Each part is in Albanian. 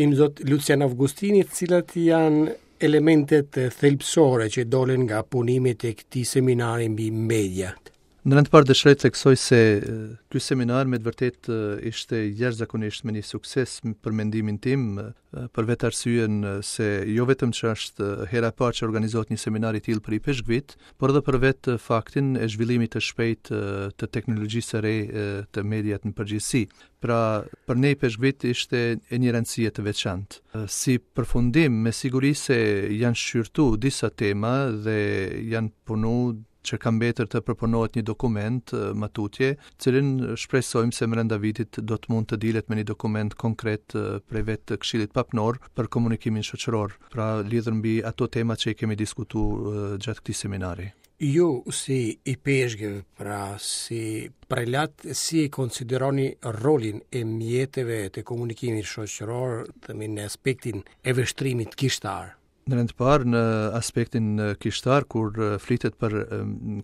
Imzot Lucian Avgustini, cilat janë elementet thelbësore që dolën nga punimet e këtij seminari mbi mediat? Në rend të parë dëshiroj të theksoj se ky seminar me të vërtetë ishte jashtëzakonisht me një sukses për mendimin tim, për vetë arsyen se jo vetëm që është hera e parë që organizohet një seminar i tillë për ipeshkvit, por edhe për vetë faktin e zhvillimit të shpejtë të teknologjisë së re të mediat në përgjithësi. Pra, për ne ipeshkvit ishte e një rëndësie të veçantë. Si përfundim, me siguri se janë shqyrtu disa tema dhe janë punu që ka mbetur të përpunohet një dokument më tutje, cilin shpresojmë se mrenda vitit do të mund të dilet me një dokument konkret prej vetë Këshillit Papnor për komunikimin shoqëror, pra lidhur mbi ato tema që i kemi diskutu gjatë këtij seminari. Ju si ipeshkëv, pra si prelat, si e konsideroni rolin e mjeteve të komunikimit shoqëror, themi në aspektin e vështrimit kishtar? Në rend të parë, në aspektin kishtar, kur flitet për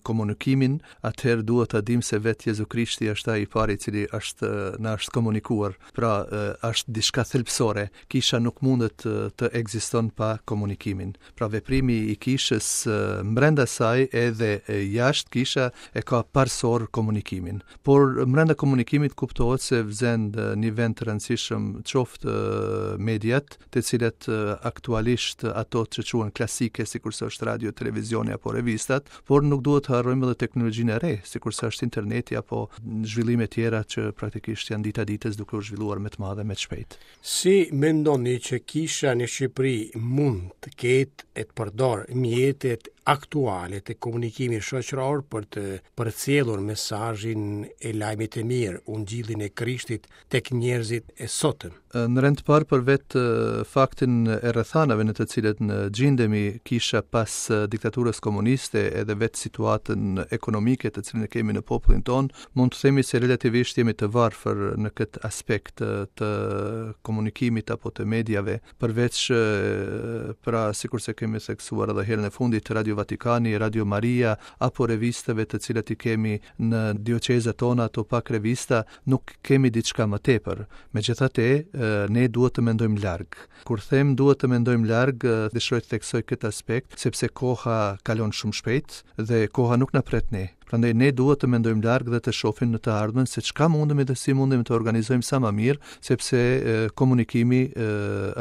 komunikimin, atëherë duhet ta dimë se vetë Jezu Krishti është ai i pari i cili është na është komunikuar. Pra, është diçka thelbësore. Kisha nuk mundet të ekziston pa komunikimin. Pra, veprimi i kishës mbrenda saj edhe jashtë kisha e ka parësor komunikimin. Por mbrenda komunikimit kuptohet se zën një vend të rëndësishëm qoftë mediat, të cilat aktualisht ato që quhen klasike, sikurse është radio, televizioni apo revistat, por nuk duhet të harrojmë edhe teknologjinë e re, sikurse është interneti apo zhvillime tjera që praktikisht janë dita ditës duke u zhvilluar me të madhe, me të shpejtë. Si mendoni që kisha në Shqipëri mund të ketë e të përdorë mjetet aktuale të komunikimit shoqëror për të përcjellur mesazhin e lajmit të mirë, ungjillin e Krishtit tek njerëzit e sotëm. Në rend të parë për vetë faktin e rrethanave në të cilët ne gjindemi kisha pas diktaturës komuniste edhe vetë situatën ekonomike të cilën e kemi në popullin tonë, mund të themi se relativisht jemi të varfër në këtë aspekt të komunikimit apo të mediave, përveç pra sikurse kemi theksuar edhe herën e fundit Radio Vatikani, Radio Maria apo revistave të cilat i kemi në dioqezat tona, ato pak revista, nuk kemi diçka më tepër. Megjithatë, ne duhet të mendojmë larg. Kur them duhet të mendojmë larg, dëshiroj të theksoj këtë aspekt, sepse koha kalon shumë shpejt dhe koha nuk na pret ne. Prandaj ne duhet të mendojmë larg dhe të shohim në të ardhmen se çka mundemi dhe si mundemi të organizojmë sa më mirë, sepse komunikimi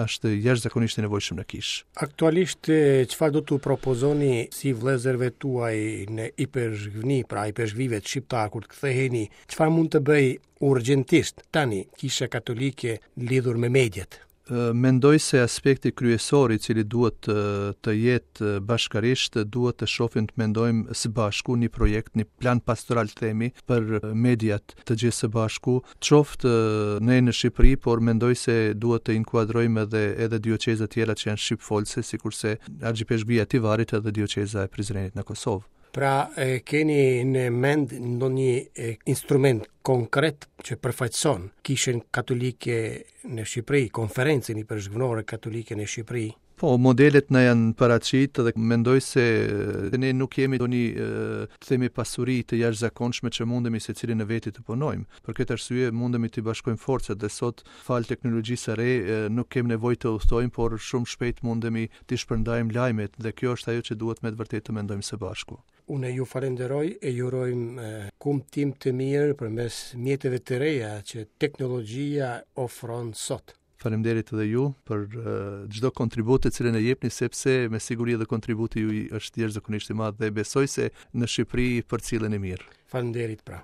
është jashtëzakonisht i nevojshëm në kishë. Aktualisht çfarë do t'u propozoni si vëllezërve tuaj në ipeshkvni, pra ipeshkvive shqiptarë kur të ktheheni Çfarë mund të bëjë urgjentisht tani Kisha Katolike lidhur me mediat? Mendoj se aspekti kryesor i cili duhet të, të jetë bashkarisht, duhet të shohim të mendojmë së bashku një projekt, një plan pastoral të themi për mediat të gjithë së bashku, qoftë ne në Shqipëri, por mendoj se duhet të inkuadrojmë edhe edhe dioqeza tjera që janë shqipfolëse, sikurse Argjipeshkvia e Tivarit edhe dioqeza e Prizrenit në Kosovë. Pra, e keni në mend ndonjë instrument konkret që përfaqëson Kishën Katolike në Shqipëri, Konferencën Ipeshkvnore Katolike në Shqipëri? Po, modelet na janë paraqit dhe mendoj se ne nuk jemi ndonjë të themi pasuri të jashtëzakonshme që mundemi secili në veti të punojmë. Për këtë arsye mundemi të bashkojmë forcat dhe sot falë teknologjisë së re nuk kemi nevojë të udhëtojmë, por shumë shpejt mundemi t'i shpërndajmë lajmet dhe kjo është ajo që duhet me të vërtetë të mendojmë së bashku. Unë ju falenderoj e ju urojmë kumtim të mirë përmes mjeteve të reja që teknologjia ofron sot. Faleminderit edhe ju për çdo kontribut të cilin e jepni sepse me siguri edhe kontributi juaj është jashtëzakonisht i madh dhe besoj se në Shqipëri përcilleni mirë. Faleminderit pra.